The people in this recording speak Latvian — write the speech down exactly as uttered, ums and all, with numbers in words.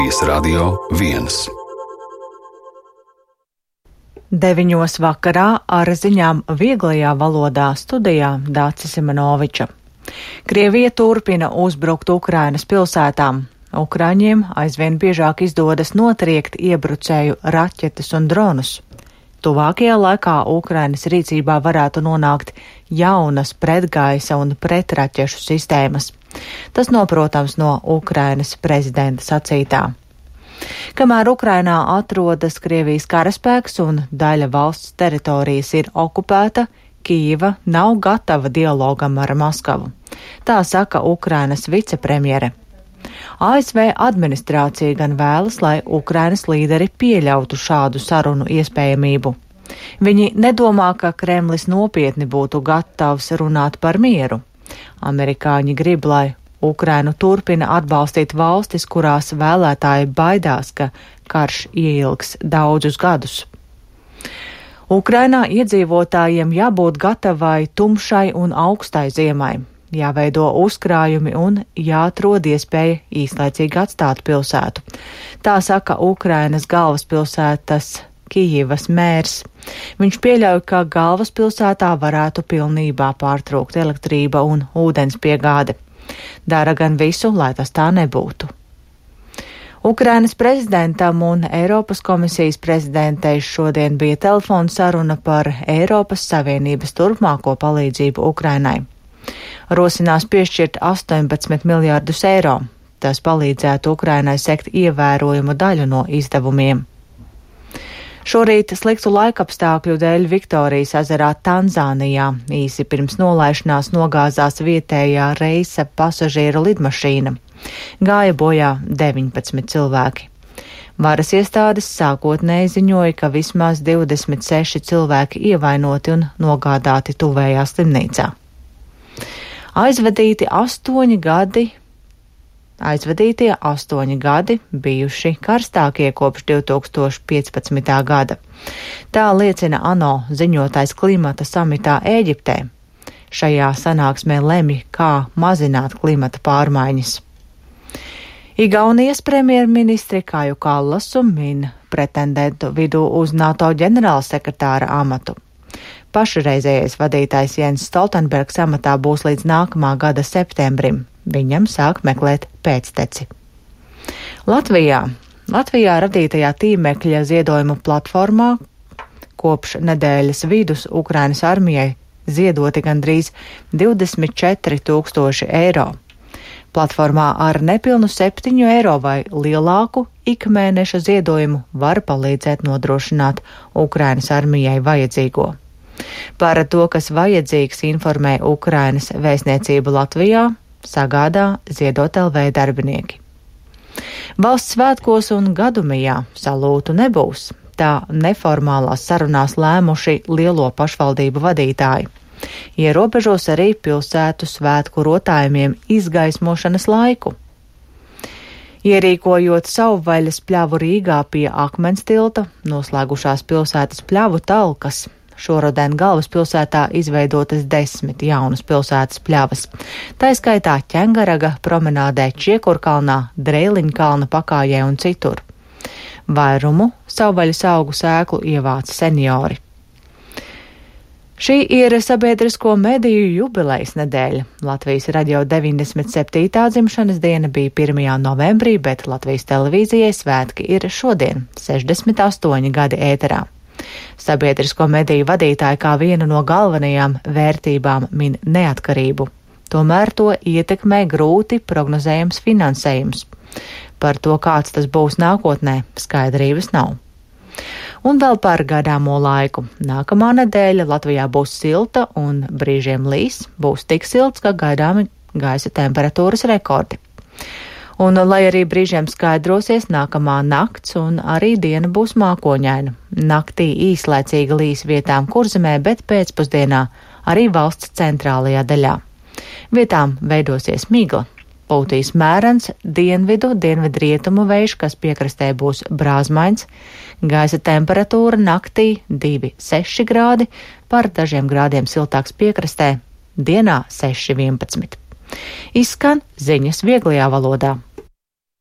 Radio viens. Deviņos vakarā ar ziņām vieglajā valodā studijā Dācis Simanoviča. Krievija turpina uzbrukt Ukrainas pilsētām. Ukraiņiem aizvien biežāk izdodas notriekt iebrucēju raķetes un dronus. Tuvākajā laikā Ukrainas rīcībā varētu nonākt jaunas pretgaisa un pretraķešu sistēmas. Tas noprotams no Ukrainas prezidenta sacītā. Kamēr Ukrainā atrodas Krievijas karaspēks un daļa valsts teritorijas ir okupēta, Kijeva nav gatava dialogam ar Maskavu. Tā saka Ukrainas vicepremjere. A S V administrācija gan vēlas, lai Ukrainas līderi pieļautu šādu sarunu iespējamību. Viņi nedomā, ka Kremlis nopietni būtu gatavs runāt par mieru. Amerikāņi grib, lai Ukrainu turpina atbalstīt valstis, kurās vēlētāji baidās, ka karš ieilgs daudzus gadus. Ukrainā iedzīvotājiem jābūt gatavai tumšai un augstai ziemai. Jāveido uzkrājumi un jāatrod iespēja īslaicīgi atstāt pilsētu. Tā saka Ukrainas galvaspilsētas Kijevas mērs. Viņš pieļauj, ka galvaspilsētā varētu pilnībā pārtraukt elektrība un ūdens piegāde. Dara gan visu, lai tas tā nebūtu. Ukrainas prezidentam un Eiropas komisijas prezidentei šodien bija telefona saruna par Eiropas Savienības turpmāko palīdzību Ukrainai. Rosinās piešķirt astoņpadsmit miljārdus eiro. Tas palīdzētu Ukrainai sekt ievērojumu daļu no izdevumiem. Šorīt sliktu laikapstākļu dēļ Viktorijas ezerā Tanzānijā īsi pirms nolaišanās nogāzās vietējā reisa pasažieru lidmašīna. Gāja bojā deviņpadsmit cilvēki. Varas iestādes sākotnēji ziņoja, ka vismaz divdesmit seši cilvēki ievainoti un nogādāti tuvējā slimnīcā. Aizvadīti astoņi gadi, aizvadītie astoņi gadi bijuši karstākie kopš divi tūkstoši piecpadsmitā gada. Tā liecina ANO ziņotais klimata samitā Ēģiptē. Šajā sanāksmē lemj, kā mazināt klimata pārmaiņas. Igaunijas premjerministri Kaju Kallasu min pretendentu vidū uz NATO ģenerālsekretāra amatu. Pašreizējais vadītājs Jens Stoltenbergs amatā būs līdz nākamā gada septembrim. Viņam sāk meklēt pēcteci. Latvijā. Latvijā radītajā tīmekļa ziedojumu platformā kopš nedēļas vidus Ukrainas armijai ziedoti gandrīz divdesmit četri tūkstoši eiro. Platformā ar nepilnu septiņu eiro vai lielāku ikmēneša ziedojumu var palīdzēt nodrošināt Ukrainas armijai vajadzīgo. Par to, kas vajadzīgs, informē Ukrainas vēstniecība Latvijā, sagādā Ziedot L V darbinieki. Valsts svētkos un gadumijā salūtu nebūs. Tā neformālās sarunās lēmuši lielo pašvaldību vadītāji. Ierobežos arī pilsētu svētku rotājumiem izgaismošanas laiku. Ierīkojot savvaļas pļavu Rīgā pie Akmens tilta, noslēgušās pilsētas pļavu talkas. Šoruden galvaspilsētā izveidotas desmit jaunas pilsētas pļavas. Tā skaitā Ķengaraga promenādē, Čiekurkalnā, Dreiliņkalna pakājē un citur. Vairumu savvaļas augu sēklu ievāca seniori. Šī ir sabiedrisko mediju jubilejas nedēļa. Latvijas radio deviņdesmit septītā dzimšanas diena bija pirmajā novembrī, bet Latvijas televīzijai svētki ir šodien, sešdesmit astoņi gadi ēterā. Sabiedrisko mediju vadītāji kā vienu no galvenajām vērtībām min neatkarību. Tomēr to ietekmē grūti prognozējams finansējums. Par to, kāds tas būs nākotnē, skaidrības nav. Un vēl par gaidāmo laiku. Nākamā nedēļa Latvijā būs silta un brīžiem līs, būs tik silts, ka gaidāmi gaisa temperatūras rekordi. Un, lai arī brīžiem skaidrosies, nākamā nakts un arī diena būs mākoņaina. Naktī īslaicīga līs vietām Kurzemē, bet pēcpusdienā arī valsts centrālajā daļā. Vietām veidosies migla. Pūtīs mērens dienvidu, dienvidrietumu vējš, kas piekrastē būs brāzmains. Gaisa temperatūra naktī divi seši grādi, par dažiem grādiem siltāks piekrastē, dienā seši vienpadsmit. Izskan ziņas vieglajā valodā.